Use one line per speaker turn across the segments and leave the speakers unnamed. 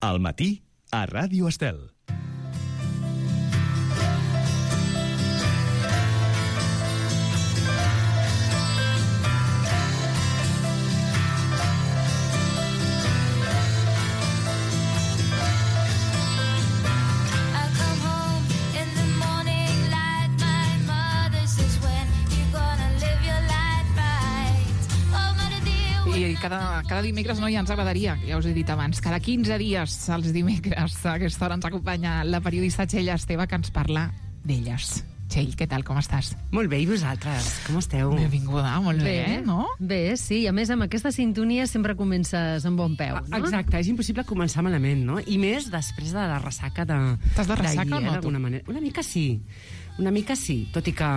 Al matí, a Ràdio Estel.
Cada dimecres ja ens agradaria, ja us he dit abans, cada 15 dies els dimecres a aquesta hora ens acompanya la periodista Txell Esteve, que ens parla d'elles. Txell, què tal, com estàs?
Molt bé, i vosaltres? Com esteu?
Benvinguda, molt bé, no?
Bé, sí, a més amb aquesta sintonia sempre comences amb bon peu, no?
Exacte, és impossible començar malament, no? I més després de la ressaca
T'has de ressaca o no, tu?
d'alguna manera. Una mica sí, tot i que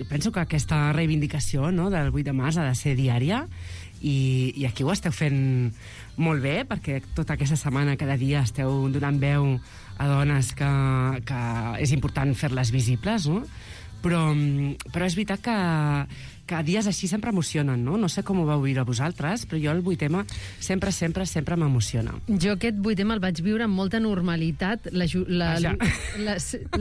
penso que aquesta reivindicació, no, del 8 de març ha de ser diària, i aquí ho esteu fent molt bé, perquè tota aquesta setmana, cada dia, esteu donant veu a dones que és important fer-les visibles, no? Però és veritat que dies així sempre emocionen, no? No sé com ho vau viure vosaltres, però jo el 8M sempre m'emociona.
Jo aquest 8M el vaig viure amb molta normalitat. La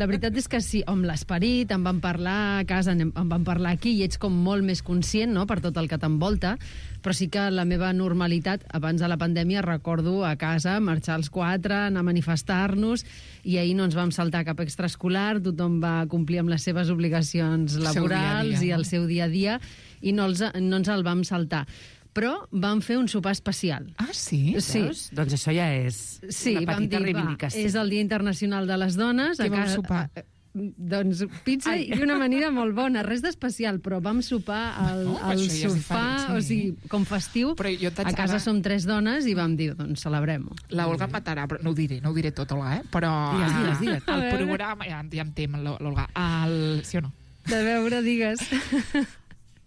veritat és que sí, amb l'esperit, en vam parlar a casa, en vam parlar aquí, i ets com molt més conscient, no?, per tot el que t'envolta, però sí que la meva normalitat, abans de la pandèmia, recordo a casa marxar als 4, anar a manifestar-nos, i ahir no ens vam saltar cap extraescolar, tothom va complir amb les seves obligacions laborals i el seu dia a dia, i no ens el vam saltar. Però vam fer un sopar especial.
Ah, sí?
Sí.
Veus? Doncs això ja és una petita reivindicació.
És el Dia Internacional de les Dones.
Què vam sopar?
Doncs pizza i una amanida molt bona, res d'especial, però vam sopar al sofà, o sigui, com festiu. A casa som 3 dones i vam dir, doncs celebrem-ho.
La Olga em matarà, però no ho diré tot, Olga, però...
Digues.
El programa... Ja em tem, l'Olga. Sí o no?
De veure, digues.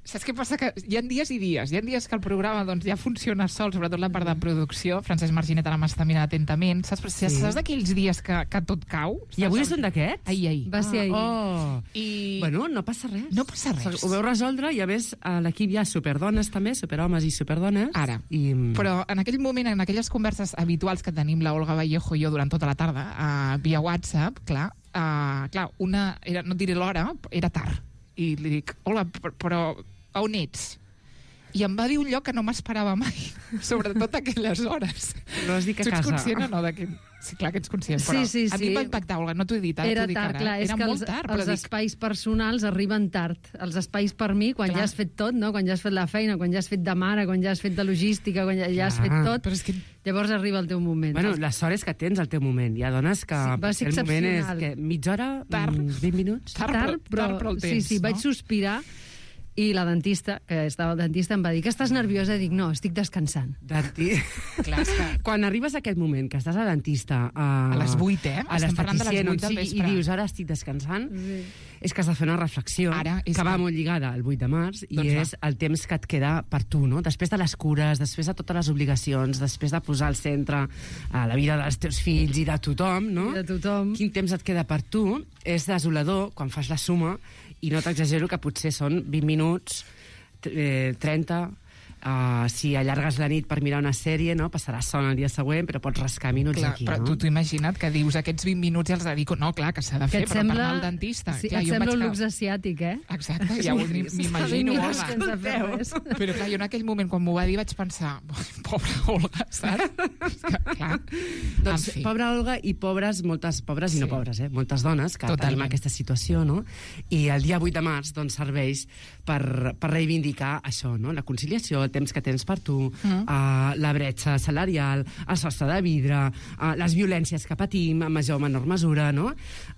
Saps què passa? Que hi ha dies i dies. Hi ha dies que el programa ja funciona sol, sobretot la part de producció. Francesc Marginet ara m'està mirant atentament. Saps d'aquells dies que tot cau?
I avui és un d'aquests?
Ahir.
Va ser ahir.
Bueno, no passa res.
No passa res.
Ho veu resoldre, i a més a l'equip hi ha superdones també, superhomes i superdones.
Ara. Però en aquell moment, en aquelles converses habituals que tenim la Olga Vallejo i jo durant tota la tarda, via WhatsApp, clar, no et diré l'hora, era tard. I li dic, hola, però a on ets? I em va dir un lloc que no m'esperava mai, sobretot a aquelles hores.
No has dit que a casa.
Tu ets conscient o no? Sí, clar que ets conscient, però
sí.
A mi em va impactar, Olga, no t'ho he dit ara.
Era tard, clar, és que els espais personals arriben tard. Els espais per mi, quan ja has fet tot, no? Quan ja has fet la feina, quan ja has fet de mare, quan ja has fet de logística, quan ja has fet tot,
però és que...
llavors arriba el teu moment.
Bueno, la sort és que tens el teu moment. Hi ha dones que el moment és que mitja hora, 20 minuts.
Tard, però el temps.
Sí, vaig sospirar. I la dentista, que estava al dentista, em va dir que estàs nerviosa? I dic, no, estic descansant.
Clar, quan arribes a aquest moment, que estàs al dentista...
A les 8,
a l'esteticient, i dius, ara estic descansant, és que has de fer una reflexió que va molt lligada al 8 de març, i és el temps que et queda per tu, no? Després de les cures, després de totes les obligacions, després de posar al centre la vida dels teus fills i de tothom, no?
De tothom.
Quin temps et queda per tu? És desolador quan fas la suma, i no t'exagero que potser són 20 minuts, 30... si allargues la nit per mirar una sèrie, no? Passaràs son el dia següent, però pots rascar minuts aquí,
però
no?
Tu t'ho imagina't que dius aquests 20 minuts i els dedico... No, clar, que s'ha de fer, però per anar al dentista.
Sí, et sembla un luxe asiàtic, eh?
Exacte, ja m'imagino, Olga. Però clar, jo en aquell moment, quan m'ho va dir, vaig pensar, pobra Olga, saps? Clar.
Doncs pobra Olga i moltes pobres i no pobres, moltes dones que tenim aquesta situació, no? I el dia 8 de març doncs serveix per reivindicar això, no? La conciliació, el temps que tens per tu, la bretxa salarial, el sostre de vidre, les violències que patim en major o menor mesura, no?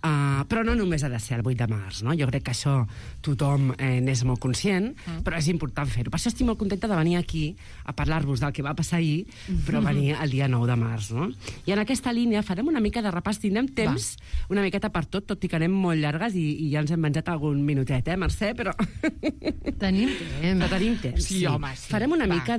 Però no només ha de ser el 8 de març, no? Jo crec que això tothom n'és molt conscient, però és important fer-ho. Per això estic molt contenta de venir aquí a parlar-vos del que va passar ahir, però venir el dia 9 de març, no? I en aquesta línia farem una mica de repàs, tindrem temps una miqueta per tot i que anem molt llargues i ja ens hem menjat algun minutet, Mercè? Però...
Tenim temps.
Tenim temps,
sí. Home, sí.
farem una mica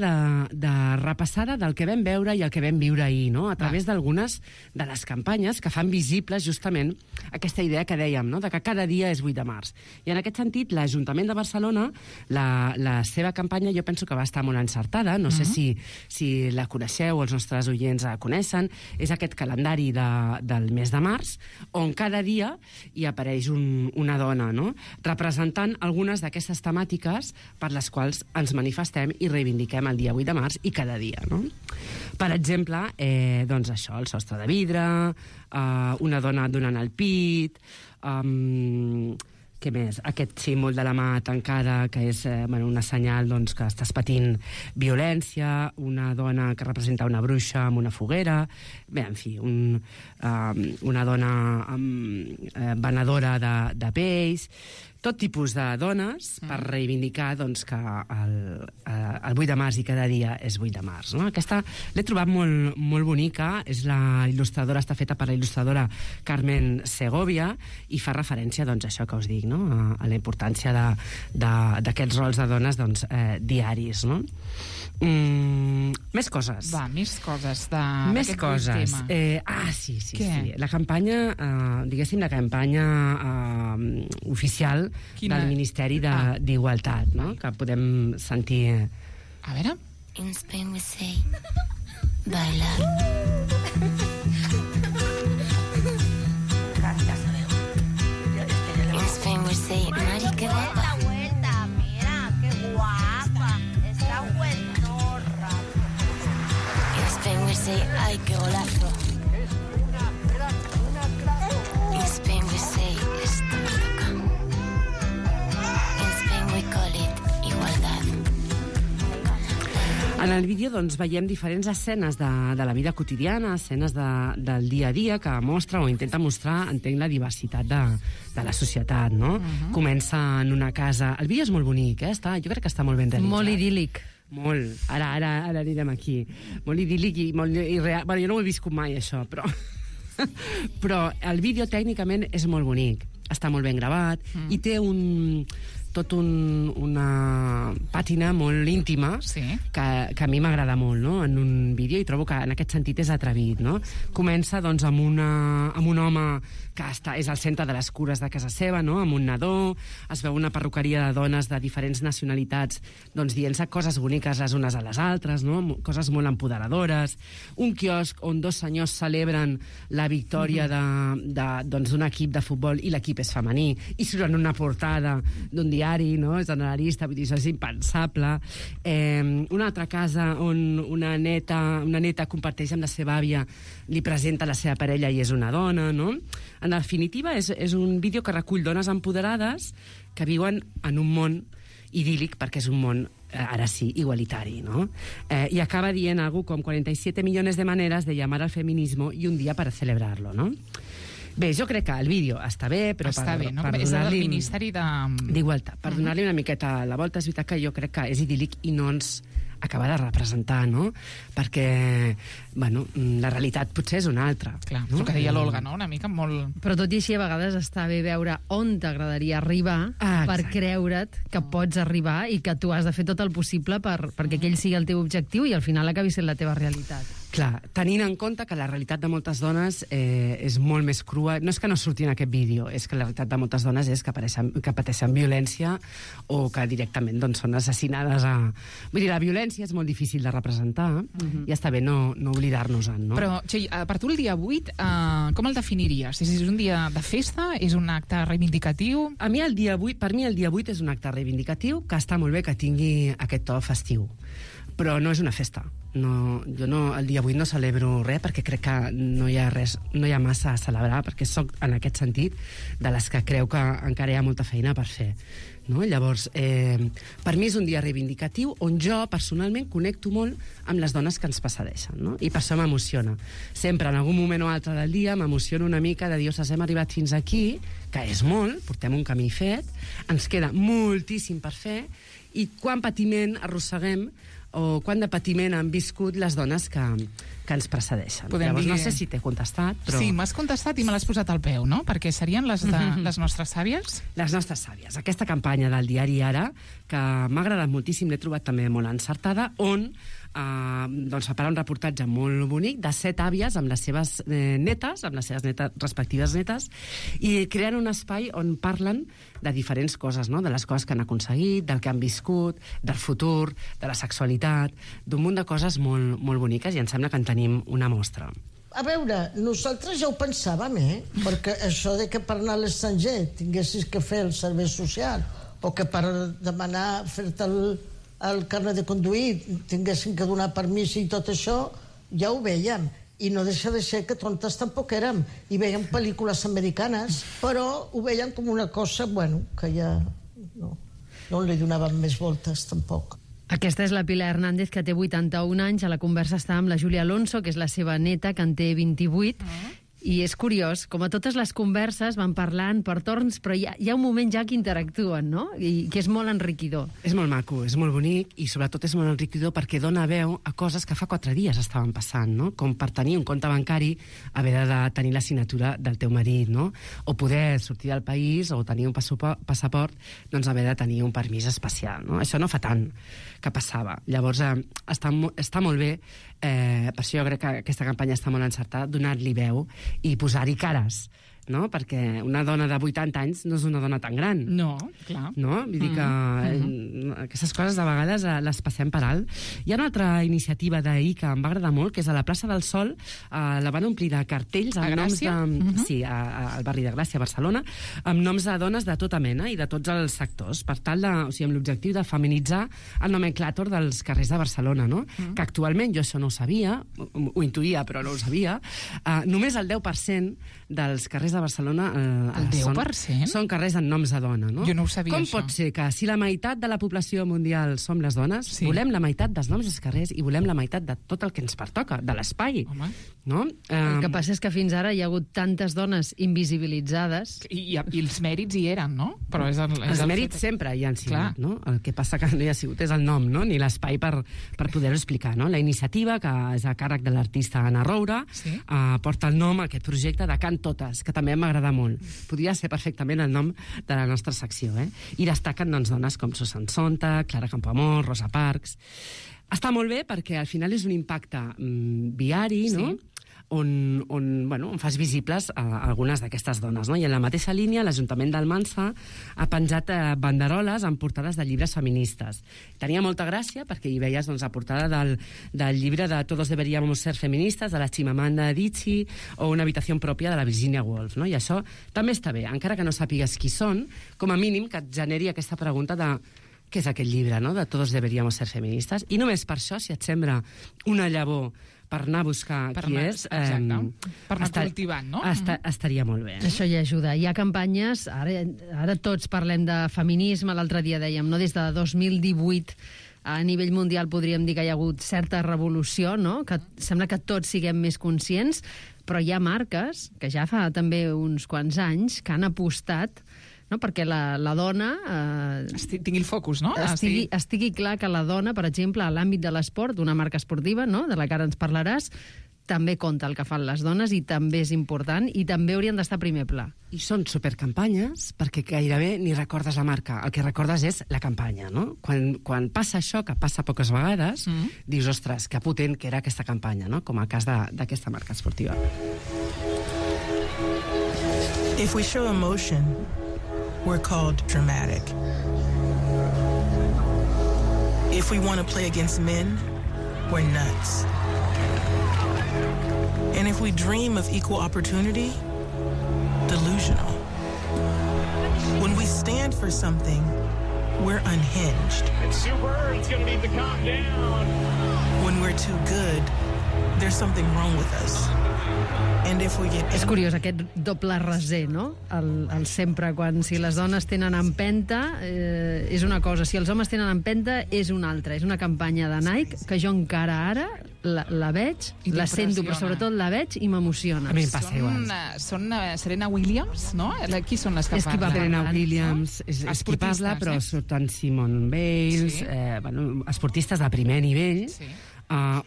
de repassada del que vam veure i el que vam viure ahir, no? A través d'algunes de les campanyes que fan visibles justament aquesta idea que dèiem, no? De que cada dia és 8 de març. I en aquest sentit, l'Ajuntament de Barcelona, la seva campanya jo penso que va estar molt encertada, no sé si la coneixeu o els nostres oients la coneixen, és aquest calendari del mes de març, on cada dia hi apareix una dona, no? Representant algunes d'aquestes temàtiques per les quals ens manifestem i reivindiquem el dia 8 de març i cada dia, no? Per exemple, doncs això, el sostre de vidre, una dona donant el pit, què més? Aquest símbol de la mà tancada, que és una senyal doncs, que estàs patint violència, una dona que representa una bruixa amb una foguera, bé, en fi, una dona venedora de pells, tot tipus de dones per reivindicar doncs, que el 8 de març i cada dia és 8 de març. No? Aquesta l'he trobat molt, molt bonica, la il·lustradora està feta per la il·lustradora Carmen Segovia i fa referència doncs, a això que us dic, no? A la importància d'aquests rols de dones doncs, diaris. No? Més coses.
Va, més coses
més coses. Sí. La campanya, diguéssim, la campanya oficial del Ministeri d'Igualtat, no? Que podem sentir...
A veure...
In Spain we say, bailar. In Spain we say, Mari, qué guapa.
Mira, qué guapa. Está buenorra.
In Spain we say, ay, qué golazo. In Spain we say, esto me toca. In Spain we call it igualdad.
En el vídeo doncs, veiem diferents escenes de la vida quotidiana, escenes del dia a dia, que mostra o intenta mostrar, entenc, la diversitat de la societat, no? Comença en una casa... El vídeo és molt bonic, jo crec que està molt ben realitzat.
Molt idíl·lic.
Molt. Ara anirem aquí. Molt idíl·lic i molt irreal. Bueno, jo no ho he viscut mai, això, però... però el vídeo tècnicament és molt bonic. Està molt ben gravat i té una pàtina molt íntima que a mi m'agrada molt, no? En un vídeo, i trobo que en aquest sentit és atrevit, no? Comença doncs, amb un home que és al centre de les cures de casa seva, no? Amb un nadó, es veu una perruqueria de dones de diferents nacionalitats doncs, dient-se coses boniques les unes a les altres, no? Coses molt empoderadores, un quiosc on dos senyors celebren la victòria d'un equip de futbol i l'equip és femení, i surt en una portada d'un diari, no? Generalista, vull dir, això és impensable. Una altra casa on una neta comparteix amb la seva àvia, li presenta la seva parella i és una dona, no? En definitiva, és un vídeo que recull dones empoderades que viuen en un món idíl·lic, perquè és un món, ara sí, igualitari, no? I acaba dient algo com 47 millones de maneras de llamar al feminismo y un día para celebrarlo, no? Bé, jo crec que el vídeo està bé, però
està bé, no?
Per
és del
donar-li...
Ministeri
d'Igualtat. Per donar-li una miqueta la volta, és veritat que jo crec que és idíl·lic i no ens acaba de representar, no? Perquè, bueno, la realitat potser és una altra.
Clar,
no?
el que deia l'Olga, no? Una mica molt...
Però tot i així, a vegades està bé veure on t'agradaria arribar per creure't que pots arribar i que tu has de fer tot el possible perquè aquell sigui el teu objectiu i al final acabi sent la teva realitat.
Clar, tenint en compte que la realitat de moltes dones és molt més crua. No és que no surti en aquest vídeo, és que la realitat de moltes dones és que pateixen violència o que directament doncs, són assassinades Vull dir, la violència és molt difícil de representar i està bé no oblidar-nos-en, no?
Però, Txell, per tu el dia 8, com el definiries? És un dia de festa? És un acte reivindicatiu?
Per mi el dia 8 és un acte reivindicatiu que està molt bé que tingui aquest to festiu. Però no és una festa. Jo el dia 8 no celebro res perquè crec que no hi ha massa a celebrar, perquè sóc en aquest sentit de les que creu que encara hi ha molta feina per fer. No? Llavors, per mi és un dia reivindicatiu on jo personalment connecto molt amb les dones que ens precedeixen, no? I per això m'emociona. Sempre, en algun moment o altre del dia, m'emociono una mica de dir, ostres, hem arribat fins aquí, que és molt, portem un camí fet, ens queda moltíssim per fer, i quant patiment arrosseguem o quant de patiment han viscut les dones que ens precedeixen. Llavors, no sé si t'he contestat, però...
Sí, m'has contestat i me l'has posat al peu, no? Perquè serien les nostres sàvies?
Les nostres sàvies. Aquesta campanya del diari Ara, que m'ha agradat moltíssim, l'he trobat també molt encertada, on fa parar un reportatge molt bonic de 7 àvies amb les seves netes, amb les seves respectives netes, i creen un espai on parlen de diferents coses, no? De les coses que han aconseguit, del que han viscut, del futur, de la sexualitat, d'un munt de coses molt, molt boniques, i em sembla que en tenim una mostra.
A veure, nosaltres ja ho pensàvem, perquè això de que per anar a l'estranger tinguessis que fer el servei social o que per demanar fer-te el carnet de conduir tinguessin que donar permís i tot això, ja ho vèiem. I no deixa de ser que tontes tampoc érem. I veiem pel·lícules americanes, però ho veiem com una cosa, que ja no li donàvem més voltes, tampoc.
Aquesta és la Pilar Hernández, que té 81 anys. A la conversa està amb la Júlia Alonso, que és la seva neta, que en té 28. I és curiós, com a totes les converses van parlant per torns, però hi ha un moment ja que interactuen, no? I que és molt enriquidor.
És molt maco, és molt bonic, i sobretot és molt enriquidor perquè dona veu a coses que fa 4 dies estaven passant, no? Com per tenir un compte bancari haver de tenir la signatura del teu marit, no? O poder sortir del país o tenir un passaport, doncs haver de tenir un permís especial, no? Això no fa tant que passava. Llavors, està molt bé, per això jo crec que aquesta campanya està molt encertada, donar-li veu i posar-hi cares, no? Perquè una dona de 80 anys no és una dona tan gran.
No, clar.
No? Vull dir que aquestes coses de vegades les passem per alt. Hi ha una altra iniciativa d'ahir que em va agradar molt, que és a la plaça del Sol, la van omplir de cartells amb noms de... Sí, al barri de Gràcia, a Barcelona, amb noms de dones de tota mena i de tots els sectors, per tal de, amb l'objectiu de feminitzar el nomenclàtor dels carrers de Barcelona, no? Que actualment, jo això no ho sabia, ho intuïa, però no ho sabia, només el 10% dels carrers de Barcelona
el 10%?
Són carrers amb noms de dona, no?
Jo no ho sabia,
Com
això.
pot ser que si la meitat de la població mundial som les dones, volem la meitat dels noms dels carrers i volem la meitat de tot el que ens pertoca, de l'espai, no?
El que passa és que fins ara hi ha hagut tantes dones invisibilitzades...
I els mèrits hi eren, no? Però
els mèrits sempre hi han sigut, no? El que passa que no hi ha sigut és el nom, no? Ni l'espai per poder-ho explicar, no? La iniciativa, que és a càrrec de l'artista Anna Roura, porta el nom a aquest projecte de Can Totes, que també m'agrada molt. Podria ser perfectament el nom de la nostra secció, I destaquen, doncs, dones com Susan Sontag, Clara Campoamor, Rosa Parks. Està molt bé perquè al final és un impacte viari, no? On fas visibles algunes d'aquestes dones, no? I en la mateixa línia, l'Ajuntament d'Almansa ha penjat banderoles amb portades de llibres feministes. Tenia molta gràcia perquè hi veies la portada del llibre de Todos deberíamos ser feministas, de la Chimamanda Adichie, o Una habitació pròpia de la Virginia Woolf, no? I això també està bé, encara que no sàpigues qui són, com a mínim que et generi aquesta pregunta de què és aquest llibre, no? De Todos deberíamos ser feministas. I només per això, si et sembla una llavor per anar a buscar qui és...
Exacte. Per anar cultivant, no?
Estaria molt bé.
Això hi ajuda. Hi ha campanyes, ara tots parlem de feminisme, l'altre dia dèiem, no? Des de 2018 a nivell mundial podríem dir que hi ha hagut certa revolució, no? Que sembla que tots siguem més conscients, però hi ha marques, que ja fa també uns quants anys, que han apostat, no? Perquè la dona...
tingui el focus, no?
Estigui clar que la dona, per exemple, a l'àmbit de l'esport, d'una marca esportiva, no? De la que ara ens parlaràs, també compta el que fan les dones i també és important i també haurien d'estar a primer pla.
I són supercampanyes perquè gairebé ni recordes la marca. El que recordes és la campanya, no? Quan passa això, que passa poques vegades, dius, ostres, que potent que era aquesta campanya, no? Com el cas d'aquesta marca esportiva.
If we show emotion, we're called dramatic. If we want to play against men, we're nuts. And if we dream of equal opportunity, delusional. When we stand for something, we're unhinged.
And Sue Bird's gonna need the countdown.
When we're too good, there's something wrong with us. And And if we get
És curiós aquest doble raser, no? El sempre, quan si les dones tenen empenta és una cosa, si els homes tenen empenta és una altra. És una campanya de Nike que jo encara ara la veig, la sento, però sobretot la veig i m'emociona.
A mi em passa igual.
Són Serena Williams, no? Qui són les que
És qui
parlen?
Serena Williams, és qui parla, però surten Simone Biles, esportistes de primer nivell,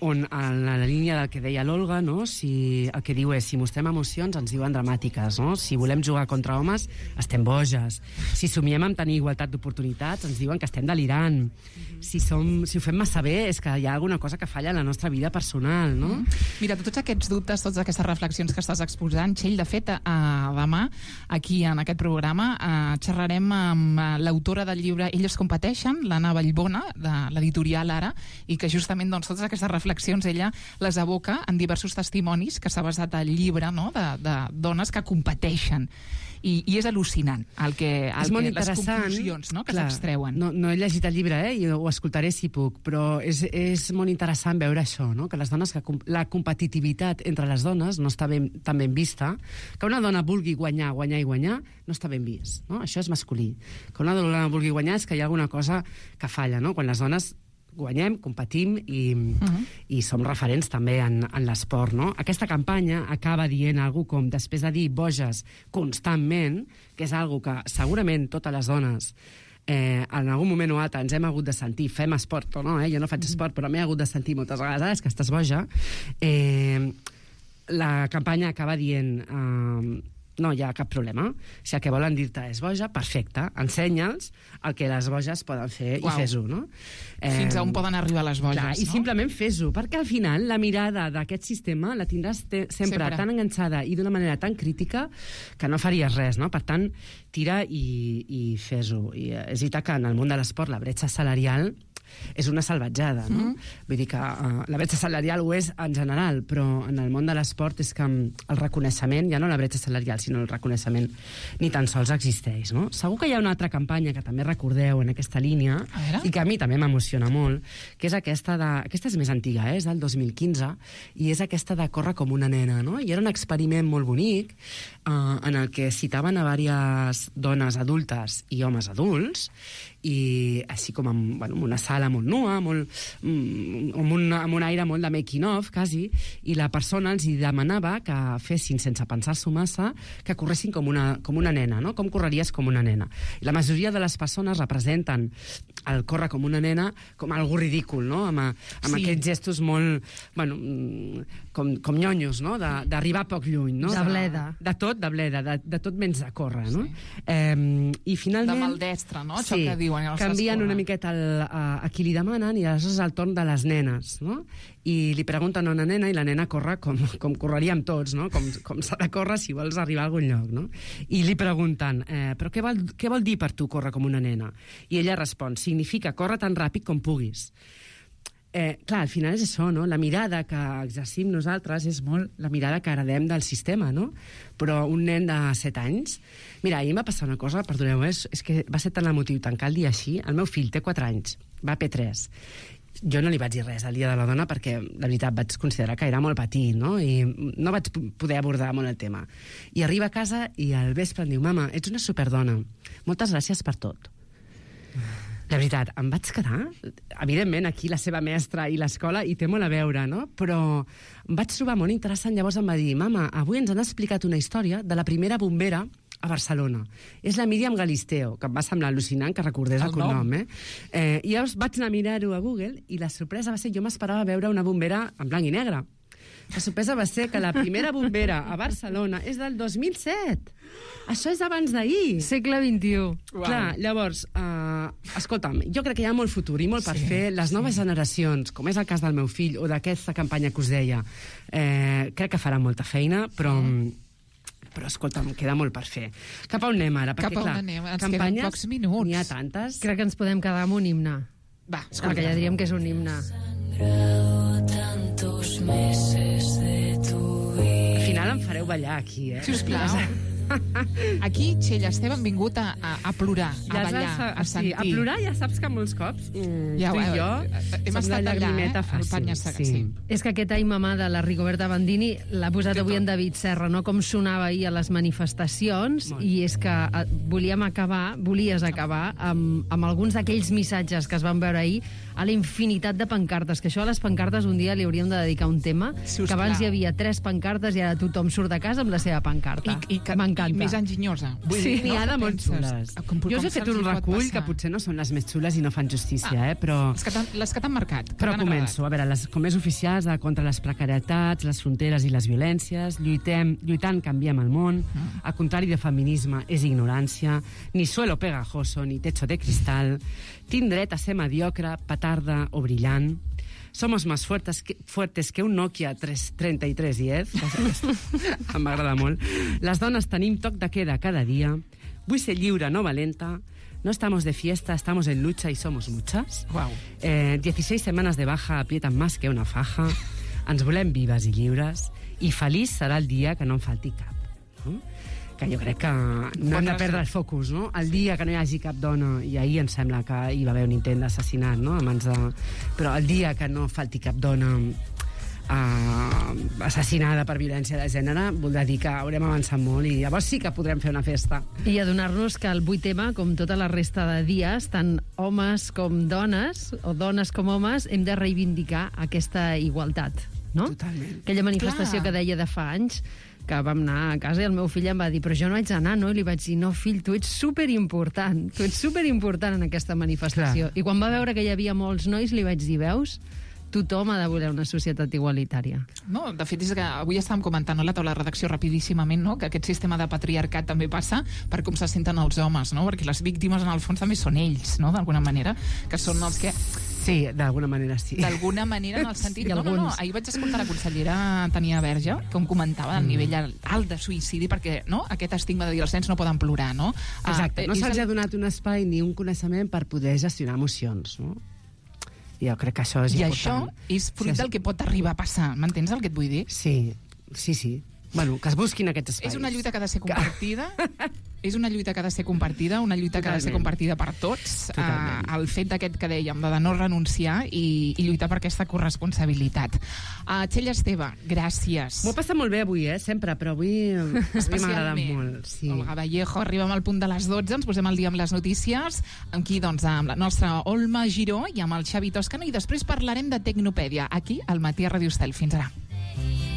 on en la línia del que deia l'Olga, no? El que diu és, si mostrem emocions ens diuen dramàtiques, no? Si volem jugar contra homes estem boges, si somiem amb tenir igualtat d'oportunitats ens diuen que estem delirant, si ho fem massa bé és que hi ha alguna cosa que falla en la nostra vida personal, no?
Mira, tots aquests dubtes, totes aquestes reflexions que estàs exposant, Txell, de fet, demà, aquí en aquest programa, xerrarem amb l'autora del llibre Elles competeixen, l'Anna Vallbona, de l'editorial Ara, i que justament totes aquestes reflexions ella les aboca en diversos testimonis que s'ha basat al llibre, no?, de dones que competeixen. I és al·lucinant les conclusions, no?, que s'extreuen.
No he llegit el llibre, i ho escoltaré si puc, però és molt interessant veure això, no?, que les dones, la competitivitat entre les dones no està tan ben vista, que una dona vulgui guanyar no està ben vist, no? Això és masculí. Que una dona vulgui guanyar és que hi ha alguna cosa que falla, no? Quan les dones guanyem, competim i som referents també en l'esport, no? Aquesta campanya acaba dient alguna com, després de dir boges constantment, que és alguna que segurament totes les dones en algun moment o altre ens hem hagut de sentir, fem esport o no, jo no faig esport, però m'he hagut de sentir moltes vegades que estàs boja, la campanya acaba dient no hi ha cap problema. Si el que volen dir-te és boja, perfecte, ensenya'ls el que les boges poden fer i fes-ho, no?
Fins a on poden arribar les boges,
clar,
no?
I simplement fes-ho, perquè al final la mirada d'aquest sistema la tindràs sempre tan enganxada i d'una manera tan crítica que no faries res, no? Per tant, tira i fes-ho. I és veritat que en el món de l'esport la bretxa salarial és una salvatjada, no? Vull dir que la bretxa salarial ho és en general, però en el món de l'esport és que el reconeixement, ja no la bretxa salarial, sinó el reconeixement, ni tan sols existeix, no? Segur que hi ha una altra campanya que també recordeu en aquesta línia, i que a mi també m'emociona molt, que és aquesta és més antiga, és del 2015, i és aquesta de córrer com una nena, no? I era un experiment molt bonic en el que citaven a diverses dones adultes i homes adults, i així com amb una sala molt nua, amb un aire molt de making of, quasi, i la persona els demanava que fessin, sense pensar-s'ho massa, que corressin com una nena, no? Com correries com una nena. I la majoria de les persones representen el córrer com una nena com algo ridícul, no? Amb aquests gestos molt, com nyonyos, no? D'arribar poc lluny, no?
De bleda.
De tot menys de córrer, no? I finalment...
De maldestre, no? Això que diuen els
canvien una miqueta a qui li demanen i aleshores és el torn de les nenes, no? I li pregunten a una nena i la nena corre com correríem tots, no? Com s'ha de córrer si vols arribar a algun lloc, no? I li pregunten, però què vol dir per tu córrer com una nena? I ella respon, significa córrer tan ràpid com puguis. Clar, al final és això, no? La mirada que exercim nosaltres és molt la mirada que heredem del sistema, no? Però un nen de 7 anys... Mira, ahir em va passar una cosa, perdoneu, és que va ser tan emotiu tancar el dia així. El meu fill té 4 anys, va a P3. Jo no li vaig dir res al Dia de la Dona perquè, la veritat, vaig considerar que era molt petit, no? I no vaig poder abordar molt el tema. I arriba a casa i al vespre em diu, mama, ets una superdona. Moltes gràcies per tot. La veritat, em vaig quedar... Evidentment, aquí la seva mestra i l'escola hi té molt a veure, no? Però em vaig trobar molt interessant. Llavors em va dir, mama, avui ens han explicat una història de la primera bombera a Barcelona. És la Míriam Galisteo, que em va semblar al·lucinant que recordés el cognom, I llavors vaig anar a mirar-ho a Google i la sorpresa va ser, jo m'esperava veure una bombera en blanc i negre. La sorpresa va ser que la primera bombera a Barcelona és del 2007. Això és abans d'ahir.
Segle XXI.
Wow. Clar, llavors, escolta'm, jo crec que hi ha molt futur i molt per fer. Les noves generacions, com és el cas del meu fill o d'aquesta campanya que us deia, crec que farà molta feina, però escolta'm, queda molt per fer. Cap a on anem ara?
Cap a on anem? Ens queden pocs minuts.
N'hi ha tantes.
Crec que ens podem quedar amb un himne.
Va,
perquè ja diríem que és un himne.
Tantos meses de tu vida.
Al final em fareu ballar aquí,
Sisplau. Aquí, Txell Esteve, han vingut a plorar, a ballar, a sentir.
Sí, a plorar ja saps que molts cops
Ja,
tu i jo
hem
som
estat
la
allà,
llagrimeta
al Panya
fàcil.
Segat, sí.
És que aquest Ai Mamà de la Rigoberta Bandini l'ha posat avui en David Serra, no? Com sonava ahir a les manifestacions, i és que volies acabar amb alguns d'aquells missatges que es van veure ahir a la infinitat de pancartes, que això a les pancartes un dia li hauríem de dedicar un tema,
Si us
que abans
plau.
hi havia 3 pancartes i ara tothom surt de casa amb la seva pancarta.
I
M'encanta.
més enginyosa.
Sí, n'hi ha de molt
Penses?
xules.
Com
Jo us he
se'ls
fet un
hi pot
recull
passar?
que potser no són les més xules i no fan justícia, però...
Les que t'han marcat. que
Però
t'han
començo. A veure, com més oficials contra les precarietats, les fronteres i les violències, lluitant canviem el món, al contrari de feminisme és ignorància, ni suelo pegajoso, ni techo de cristal, tinc dret a ser mediocre, petarda o brillant, somos más fuertes que un Nokia 3310, em m'agrada molt, les dones tenim toc de queda cada dia, vull ser lliure, no valenta, no estamos de fiesta, estamos en lucha y somos muchas.
Wow.
16 semanas de baja aprietan más que una faja. Ens volem vives i lliures i feliç serà el dia que no en falti cap. No? Que jo crec que no hem de perdre el focus, no? El dia que no hi hagi cap dona, i ahir em sembla que hi va haver un intent d'assassinat, no? Però el dia que no falti cap dona assassinada per violència de gènere, voldrà dir que haurem avançat molt i llavors sí que podrem fer una festa.
I adonar-nos que el 8M, com tota la resta de dies, tant homes com dones, o dones com homes, hem de reivindicar aquesta igualtat, no?
Totalment.
Aquella manifestació que deia de fa anys, que vam anar a casa i el meu fill em va dir però jo no haig d'anar, no? I li vaig dir, no, fill, tu ets superimportant en aquesta manifestació.
Clar.
I quan va veure que hi havia molts nois, li vaig dir, veus? Tothom ha de voler una societat igualitària.
No, de fet, és que avui estàvem comentant a la taula de redacció rapidíssimament, no?, que aquest sistema de patriarcat també passa per com se senten els homes, no?, perquè les víctimes, en el fons, també són ells, no?, d'alguna manera, que són els que...
Sí, d'alguna manera sí.
D'alguna manera, en el sentit...
Sí,
no, ahir vaig escoltar la consellera Tania Verge, com comentava del nivell alt de suïcidi, perquè, no?, aquest estigma de dir els nens no poden plorar, no?
Exacte, no se'ls ha donat un espai ni un coneixement per poder gestionar emocions, no? Jo crec que això és important.
I això és fruit del que pot arribar a passar. M'entens el que et vull dir?
Sí. Bueno, que es busquin aquests espais.
És una lluita que ha de ser compartida. És una lluita que ha de ser compartida, una lluita que ha de ser compartida per tots. El fet d'aquest que dèiem, de no renunciar i lluitar per aquesta corresponsabilitat. Txell Esteve, gràcies.
M'ho he passat molt bé avui, sempre, però avui m'ha agradat molt. Sí.
Olga Vallejo, arribem al punt de les 12, ens posem al dia amb les notícies, amb qui, doncs, amb la nostra Olma Giró i amb el Xavi Toscano, i després parlarem de Tecnopèdia, aquí, al Matí a Radio Estel. Fins ara.